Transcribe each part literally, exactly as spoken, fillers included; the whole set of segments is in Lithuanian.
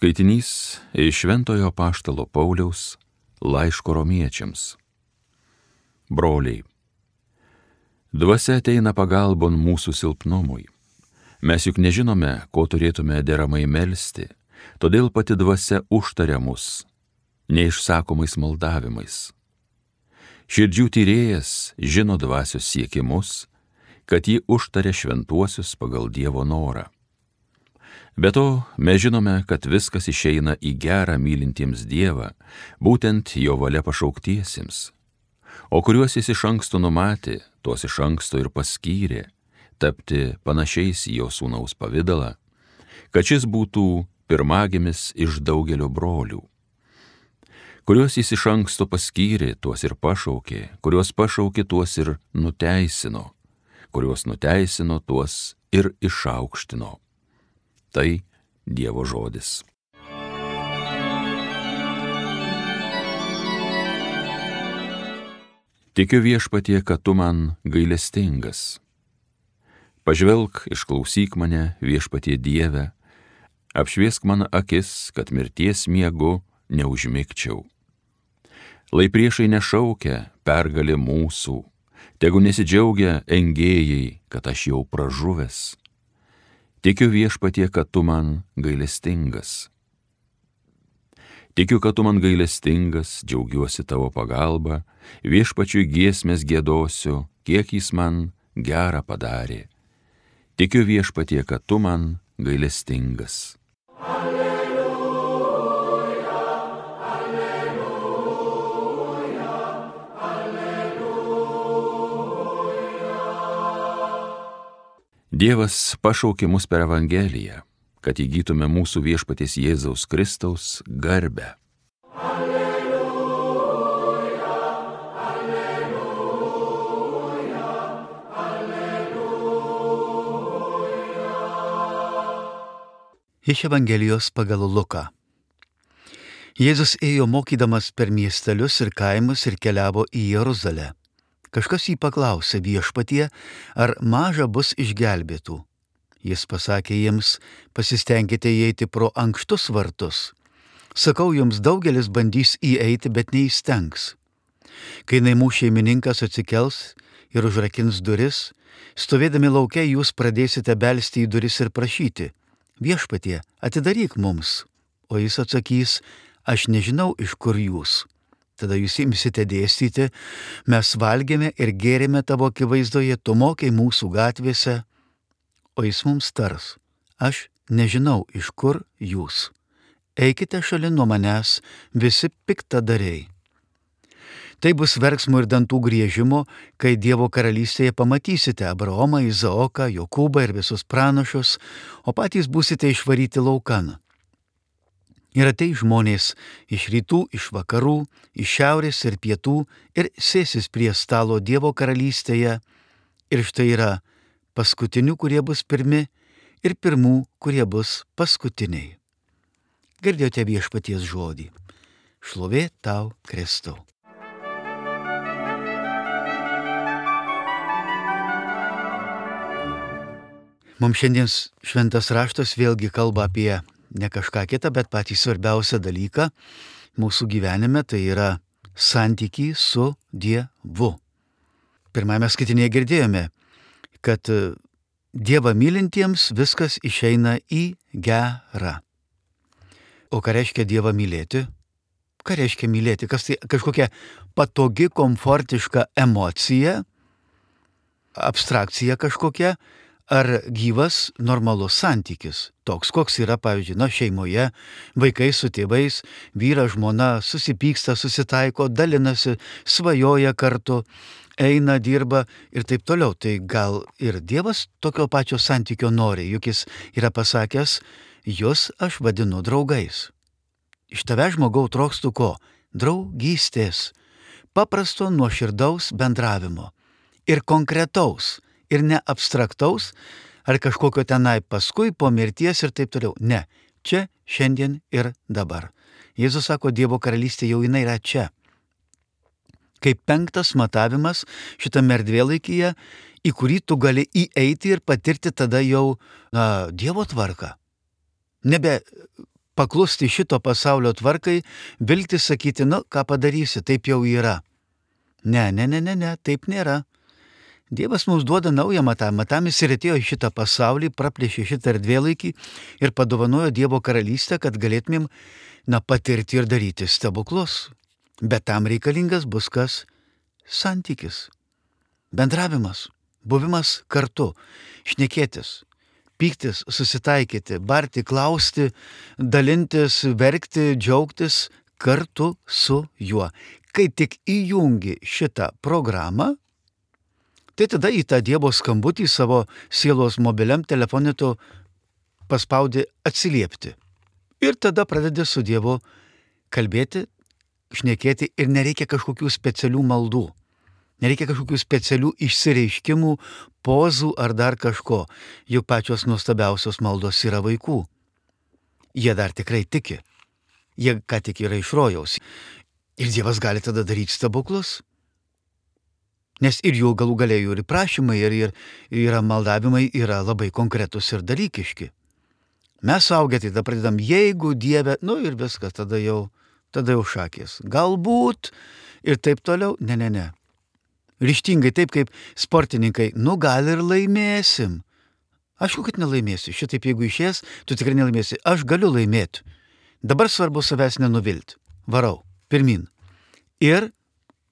Skaitinys iš Šventojo Apaštalo Pauliaus laiško romiečiams. Broliai, dvasia ateina pagalbon mūsų silpnumui. Mes juk nežinome, ko turėtume deramai melsti, todėl pati dvasia užtaria mus neišsakomais maldavimais. Širdžių tyrėjas žino dvasios siekimus, kad ji užtaria šventuosius pagal Dievo norą. Be to, mes žinome, kad viskas išeina į gerą mylintiems Dievą, būtent jo valia pašauktiesiems, o kuriuos jis iš anksto numatė, tuos iš anksto ir paskyrė, tapti panašiais į jo sūnaus pavidalą, kad šis būtų pirmagimis iš daugelio brolių. Kuriuos jis iš anksto paskyrė, tuos ir pašaukė, kuriuos pašaukė, tuos ir nuteisino, kuriuos nuteisino, tuos ir išaukštino. Tai Dievo žodis. Tikiu viešpatie, kad tu man gailestingas. Pažvelk, išklausyk mane, viešpatie Dieve, apšviesk man akis, kad mirties miegu neužmigčiau. Lai priešai nešaukia pergalė mūsų, tegu nesidžiaugia engėjai, kad aš jau pražuvęs. Tikiu viešpatie, kad tu man gailestingas. Tikiu, kad tu man gailestingas, džiaugiuosi tavo pagalba, viešpačiui giesmės giedosiu, kiek jis man gerą padarė. Tikiu viešpatie, kad tu man gailestingas. Dievas pašaukė mus per Evangeliją, kad įgytume mūsų viešpaties Jėzaus Kristaus garbę. Alleluja, alleluja, alleluja. Iš Evangelijos pagal Luką. Jėzus ėjo mokydamas per miestelius ir kaimus ir keliavo į Jeruzalę. Kažkas jį paklausė: viešpatie, ar maža bus išgelbėtų? Jis pasakė jiems: pasistengkite įeiti pro ankštus vartus. Sakau jums, daugelis bandys įeiti, bet neįstengs. Kai namų šeimininkas atsikels ir užrakins duris, stovėdami lauke jūs pradėsite belsti į duris ir prašyti: viešpatie, atidaryk mums. O jis atsakys: aš nežinau, iš kur jūs. Tada jūs imsite dėstyti: mes valgėme ir gėrėme tavo akivaizdoje, tu mokei mūsų gatvėse. O jis mums tars: aš nežinau, iš kur jūs. Eikite šalin nuo manęs, visi piktadariai. Tai bus verksmo ir dantų griežimo, kai Dievo karalystėje pamatysite Abraomą, Izaoką, Jokūbą ir visus pranašus, o patys būsite išvaryti laukan. Ir ateis žmonės iš rytų, iš vakarų, iš šiaurės ir pietų ir sėsis prie stalo Dievo karalystėje. Ir štai yra paskutinių, kurie bus pirmi, ir pirmų, kurie bus paskutiniai. Girdėjote viešpaties žodį. Šlovė tau, Kristau. Mums šiandien šventas raštas vėlgi kalba apie ne kažką kitą, bet patį svarbiausią dalyką mūsų gyvenime, tai yra santykį su Dievu. Pirmame skaitinėje girdėjome, kad Dievą mylintiems viskas išeina į gerą. O ką reiškia Dievą mylėti? Ką reiškia mylėti? Kas tai kažkokia patogi, komfortiška emocija, abstrakcija kažkokia, ar gyvas, normalus santykis, toks, koks yra, pavyzdžiui, na, šeimoje, vaikai su tėvais, vyras, žmona susipyksta, susitaiko, dalinasi, svajoja kartu, eina, dirba ir taip toliau. Tai gal ir Dievas tokio pačio santykio nori, juk jis yra pasakęs: jūs aš vadinu draugais. Iš tave, žmogau, trokštu ko? Draugystės, paprasto nuoširdaus bendravimo ir konkretaus. Ir ne abstraktaus, ar kažkokio tenai paskui po mirties ir taip toliau. Ne, čia, šiandien ir dabar. Jėzus sako, Dievo karalystė jau jinai yra čia. Kaip penktas matavimas šitame erdvėlaikyje, į kurį tu gali įeiti ir patirti tada jau na, Dievo tvarką. Nebe paklusti šito pasaulio tvarkai, viltis sakyti, nu, ką padarysi, taip jau yra. Ne, ne, ne, ne, ne, taip nėra. Dievas mums duoda naują matavimą, tam jis ir atėjo į šitą pasaulį, praplėšė šitą erdvėlaikį ir padovanojo Dievo karalystę, kad galėtumėm, na, patirti ir daryti stebuklus. Bet tam reikalingas bus kas? Santykis, bendravimas, buvimas kartu, šnekėtis, pyktis, susitaikyti, barti, klausti, dalintis, verkti, džiaugtis kartu su juo. Kai tik įjungi šitą programą, tai tada į tą Dievo skambutį savo sielos mobiliam telefone tu paspaudi atsiliepti. Ir tada pradedi su Dievu kalbėti, šnekėti ir nereikia kažkokių specialių maldų. Nereikia kažkokių specialių išsireiškimų, pozų ar dar kažko. Juk pačios nuostabiausios maldos yra vaikų. Jie dar tikrai tiki. Jie ką tik yra iš rojaus. Ir Dievas gali tada daryti stebuklus. Nes ir jų galų galėjų ir prašymai, ir, ir, ir maldavimai yra labai konkretus ir dalykiški. Mes suaugę tai tada pradedam, jeigu Dieve, nu ir viskas, tada jau, tada jau šakės. Galbūt ir taip toliau, ne, ne, ne. Ryžtingai, taip kaip sportininkai, nu gal ir laimėsim. Aišku, kad nelaimėsi. Šitaip jeigu išės, tu tikrai nelaimėsi. Aš galiu laimėti. Dabar svarbu savęs nenuvilti. Varau, pirmin. Ir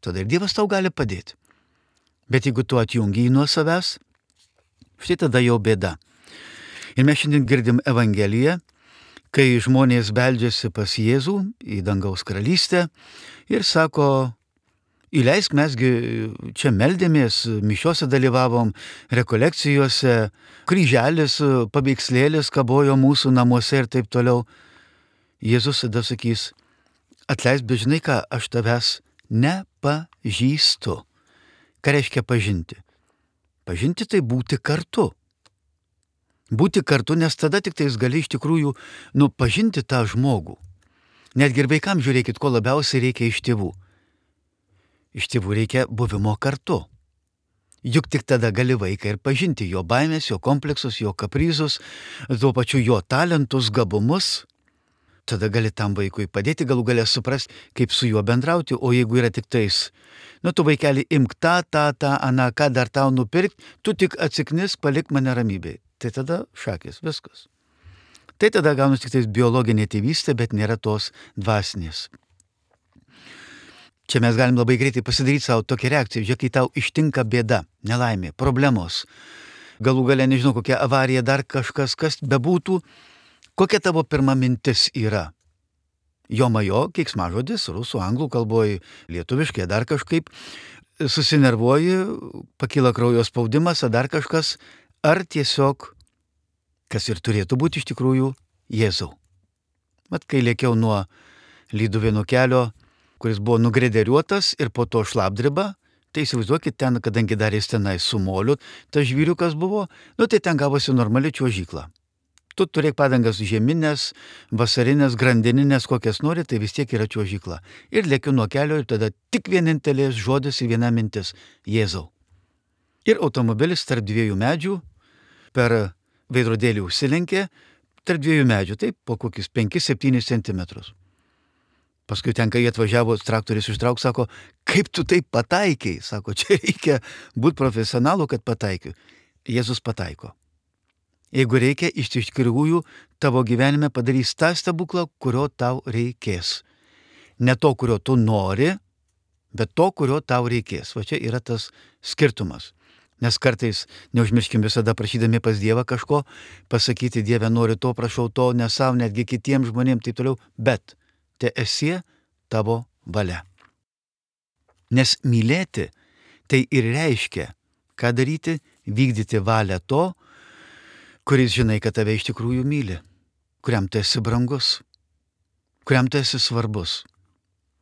tada ir Dievas tau gali padėti. Bet jeigu tu atjungi jį nuo savęs, štai tada jau bėda. Ir mes šiandien girdim Evangeliją, kai žmonės beldžiasi pas Jėzų į dangaus karalystę ir sako, įleisk, mesgi čia meldėmės, mišiuose dalyvavom, rekolekcijose, kryželis, paveikslėlis kabojo mūsų namuose ir taip toliau. Jėzus tada sakys, atleisk, bet žinai ką, aš tavęs nepažįstu. Ką reiškia pažinti? Pažinti tai būti kartu. Būti kartu, nes tada tik tais gali iš tikrųjų, nu, pažinti tą žmogų. Netgi ir vaikams žiūrėkit, ko labiausiai reikia iš tėvų. Iš tėvų reikia buvimo kartu. Juk tik tada gali vaiką ir pažinti jo baimės, jo kompleksus, jo kaprizus, tuo pačiu jo talentus, gabumus. Tada gali tam vaikui padėti, galų galę suprasti, kaip su juo bendrauti, o jeigu yra tik tais, nu tu vaikeli imk tą, tą, tą, aną, ką dar tau nupirkti, tu tik atsiknis, palik mane ramybėj. Tai tada šakės, viskas. Tai tada gaunasi tik tais biologinė tėvystė, bet nėra tos dvasinės. Čia mes galim labai greitai pasidaryti savo tokią reakciją, žiūrėk, kai tau ištinka bėda, nelaimė, problemos, galų galę nežinau, kokia avarija, dar kažkas, kas bebūtų. Kokia tavo pirma mintis yra? Jo majo, keiksmažodis, rusų, anglų kalboje, lietuviškai, dar kažkaip, susinervuoji, pakyla kraujo spaudimas, ar dar kažkas, ar tiesiog, kas ir turėtų būti iš tikrųjų, Jėzau. Mat, kai lėkiau nuo Lyduvėnų kelio, kuris buvo nugrederiuotas ir po to šlapdriba, tai įsivaizduokit ten, kadangi dar jis tenai su moliu, tas žvyriukas buvo, nu tai ten gavosi normali čiuožykla. Tu turėk padangas žieminės, vasarinės, grandininės, kokias nori, tai vis tiek yra čiuožykla. Ir lėkiu nuo kelio ir tada tik vienintelės žodis ir viena mintis - Jėzau. Ir automobilis tarp dviejų medžių per veidrodėlį užsilenkė, tarp dviejų medžių, taip, po kokius penkis septynis centimetrus. Paskui ten, kai atvažiavo, traktorius ištrauk, sako, kaip tu taip pataikiai? Sako, čia reikia būti profesionalu, kad pataikiu. Jėzus pataiko. Jeigu reikia, iš tikrųjų tavo gyvenime padarys tą stebuklą, kurio tau reikės. Ne to, kurio tu nori, bet to, kurio tau reikės. Va čia yra tas skirtumas. Nes kartais, neužmirškim visada prašydami pas Dievą kažko, pasakyti, Dieve, noriu to, prašau to, ne savo, netgi kitiems žmonėms, taip toliau, bet te esie tavo valia. Nes mylėti tai ir reiškia, ką daryti, vykdyti valią to, kuris žinai, kad tave iš tikrųjų myli, kuriam tu esi brangus, kuriam tu esi svarbus.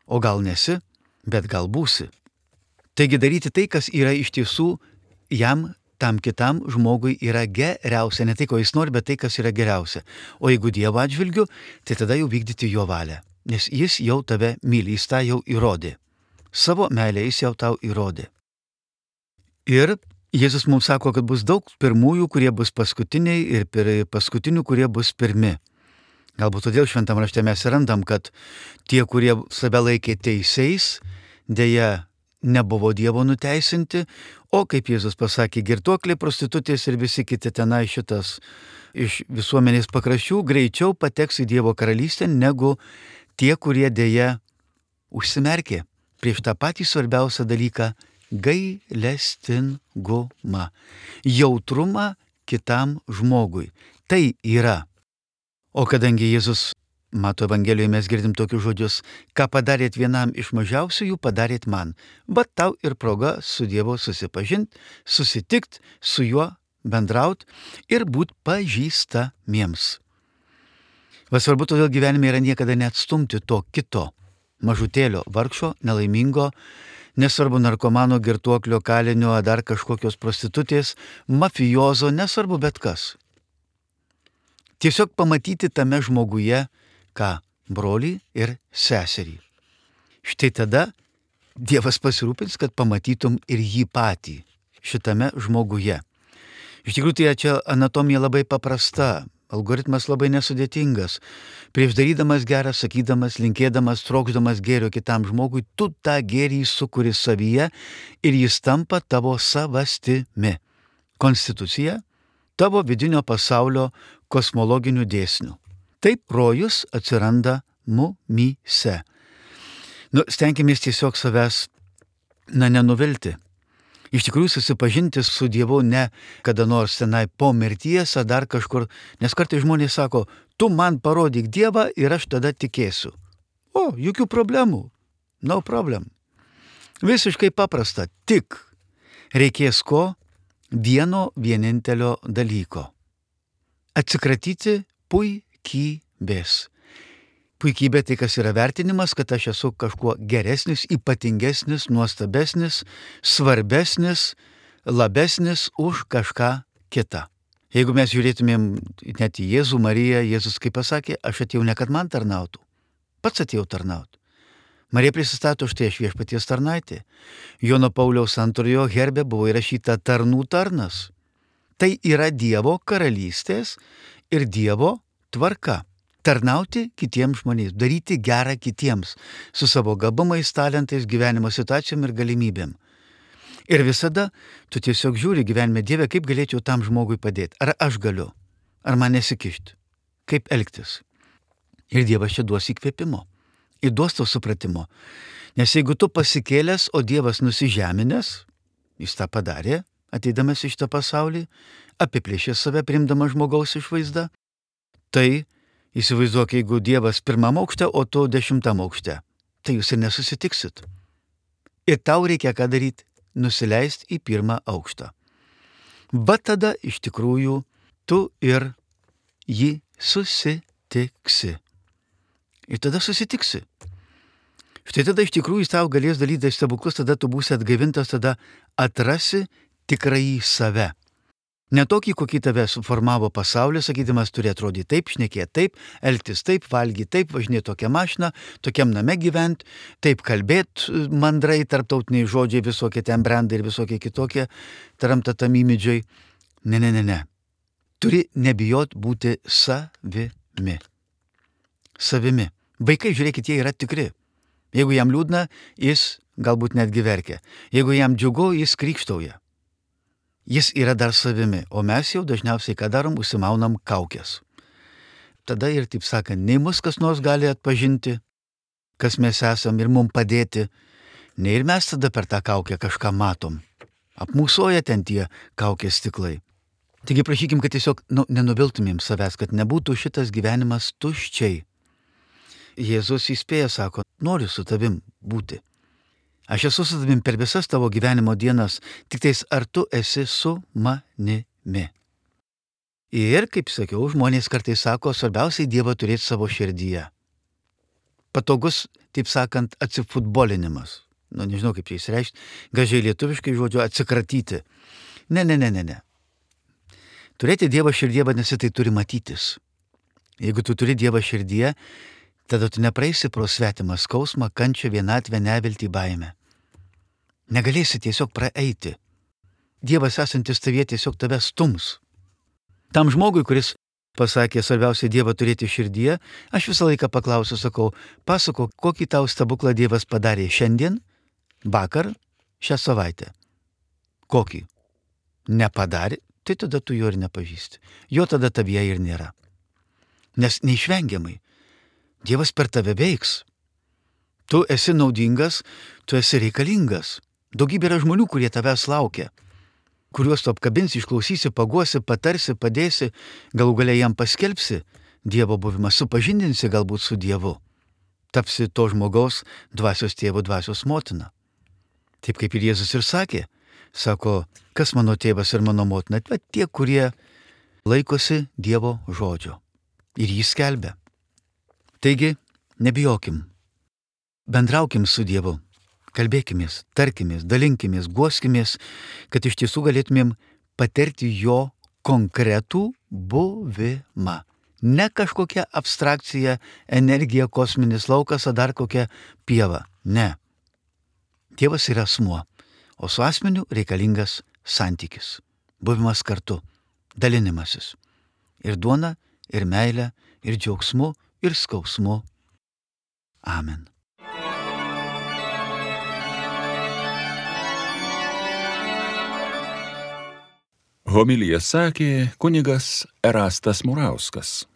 O gal nesi, bet gal būsi. Taigi daryti tai, kas yra iš tiesų jam, tam kitam žmogui yra geriausia. Ne tai, ko jis nori, bet tai, kas yra geriausia. O jeigu Dievo atžvilgiu, tai tada jau vykdyti jo valią. Nes jis jau tave myli, jis tą jau įrodė. Savo meilę jis jau tau įrodė. Ir Jėzus mums sako, kad bus daug pirmųjų, kurie bus paskutiniai, ir paskutinių, kurie bus pirmi. Galbūt todėl šventam rašte mes randam, kad tie, kurie save laikė teisiais, dėja nebuvo Dievo nuteisinti, o kaip Jėzus pasakė, girtuokliai, prostitutės ir visi kiti tenai šitas iš visuomenės pakraščių greičiau pateks į Dievo karalystę negu tie, kurie dėja užsimerkė prieš tą patį svarbiausią dalyką - gailestingumą, jautrumą kitam žmogui. Tai yra. O kadangi Jėzus, Mato Evangelijoje mes girdim tokius žodžius, ką padarėt vienam iš mažiausiųjų, padarėt man. Bet tau ir proga su Dievu susipažinti, susitikti, su juo bendrauti ir būti pažįstamiems. Va svarbu todėl gyvenime yra niekada neatstumti to kito, mažutėlio, vargšo, nelaimingo, nesvarbu narkomano, girtuoklio, kalinio, ar dar kažkokios prostitutės, mafijozo, nesvarbu bet kas. Tiesiog pamatyti tame žmoguje, ką, brolį ir seserį. Štai tada Dievas pasirūpins, kad pamatytum ir jį patį šitame žmoguje. Iš tikrųjų, tai čia anatomija labai paprasta, algoritmas labai nesudėtingas. Prieš darydamas gerą, sakydamas, linkėdamas, trokšdamas gėrio kitam žmogui, tu tą gėrį sukuri savyje ir jis tampa tavo savastimi. Konstitucija tavo vidinio pasaulio kosmologinių dėsnių. Taip rojus atsiranda mumyse. Nu, stenkimės tiesiog savęs, na, nenuvilti. Iš tikrųjų susipažinti su Dievu ne kada nors tenai po mirties ar dar kažkur, nes kartais žmonės sako, tu man parodyk Dievą ir aš tada tikėsiu. O, jokių problemų. No problem. Visiškai paprasta. Tik reikės ko? Vieno vienintelio dalyko. Atsikratyti puikybės. Puikybė tai, kas yra vertinimas, kad aš esu kažkuo geresnis, ypatingesnis, nuostabesnis, svarbesnis, labesnis už kažką kitą. Jeigu mes žiūrėtumėm net į Jėzų, Mariją, Jėzus kaip pasakė, aš atėjau ne kad man tarnautų, pats atėjau tarnauti. Marija prisistato, štai aš viešpaties tarnaitė. Jono Pauliaus antrojo herbe buvo įrašyta tarnų tarnas. Tai yra Dievo karalystės ir Dievo tvarka. Tarnauti kitiems žmonėms, daryti gerą kitiems, su savo gabumais, talentais, gyvenimo situacijom ir galimybėm. Ir visada tu tiesiog žiūri gyvenime, Dieve, kaip galėčiau tam žmogui padėti. Ar aš galiu, ar man nesikišti, kaip elgtis. Ir Dievas čia duos įkvėpimo, ir duos to supratimo. Nes jeigu tu pasikėlęs, o Dievas nusižeminęs, jis tą padarė, ateidamas iš tą pasaulį, apiplėšė save, primdamas žmogaus išvaizdą, tai įsivaizduok, jeigu Dievas pirmam aukšte, o tu dešimtam aukšte, tai jūs ir nesusitiksit. Ir tau reikia ką daryti? Nusileisti į pirmą aukštą. Va tada iš tikrųjų tu ir jį susitiksi. Ir tada susitiksi. Štai tada iš tikrųjų jis tau galės daryti stebuklus, tada tu būsi atgaivintas, tada atrasi tikrąjį save. Ne tokį, kokį tave suformavo pasaulis, sakydamas, turi atrodyti taip, šnekėti taip, elgtis taip, valgyti taip, važinėti tokią mašiną, tokiam name gyventi, taip kalbėti mandrai, tarptautiniai žodžiai, visokie ten brandai ir visokie kitokie, taramtatamimidžiai. Ne, ne, ne, ne. Turi nebijot būti savimi. Savimi. Vaikai, žiūrėkit, jie yra tikri. Jeigu jam liūdna, jis galbūt netgi verkia. Jeigu jam džiugu, jis krykštauja. Jis yra dar savimi, o mes jau dažniausiai ką darom, užsimaunam kaukės. Tada ir, taip sakant, nei mus kas nors gali atpažinti, kas mes esam ir mums padėti, nei ir mes tada per tą kaukę kažką matom. Apmūsoja ten tie kaukės stiklai. Taigi prašykim, kad tiesiog nu, nenuviltumėm savęs, kad nebūtų šitas gyvenimas tuščiai. Jėzus įspėja, sako, noriu su tavim būti. Aš esu su tavim per visas tavo gyvenimo dienas, tik tais ar tu esi su manimi. Ir, kaip sakiau, žmonės kartais sako, svarbiausiai Dievą turėti savo širdyje. Patogus, taip sakant, atsifutbolinimas. Nu, nežinau, kaip čia įsireikšti, gražiai lietuviškai žodžio atsikratyti. Ne, ne, ne, ne, ne. Turėti Dievą širdyje, vadinasi, tai turi matytis. Jeigu tu turi Dievą širdyje, tada tu nepraeisi pro svetimą skausmą, kančią, vienatvę, neviltį, baimę. Negalėsi tiesiog praeiti. Dievas esantis tavyje tiesiog tave stums. Tam žmogui, kuris pasakė, svarbiausia Dievą turėti širdyje, aš visą laiką paklausiu, sakau, pasako, kokį tau stebuklą Dievas padarė šiandien, vakar, šią savaitę. Kokį? Nepadarė, tai tada tu jo ir nepažįsti. Jo tada tavyje ir nėra. Nes neišvengiamai Dievas per tave veiks. Tu esi naudingas, tu esi reikalingas. Daugybė yra žmonių, kurie tavęs laukia, kuriuos tu apkabinsi, išklausysi, paguosi, patarsi, padėsi, galų galiai jam paskelbsi Dievo buvimą, supažindinsi galbūt su Dievu. Tapsi to žmogaus dvasios tėvo, dvasios motina. Taip kaip ir Jėzus ir sakė, sako, kas mano tėvas ir mano motina, bet tie, kurie laikosi Dievo žodžio ir jį skelbia. Taigi, nebijokim, bendraukim su Dievu, kalbėkimės, tarkimės, dalinkimės, guoskimės, kad iš tiesų galėtumėm patirti jo konkretų buvimą. Ne kažkokia abstrakcija, energija, kosminis laukas, ar dar kokia pieva. Ne. Dievas yra asmuo, o su asmeniu reikalingas santykis, buvimas kartu, dalinimasis. Ir duona, ir meilė, ir džiaugsmu, ir skausmu. Amen. Homiliją sakė kunigas Erastas Murauskas.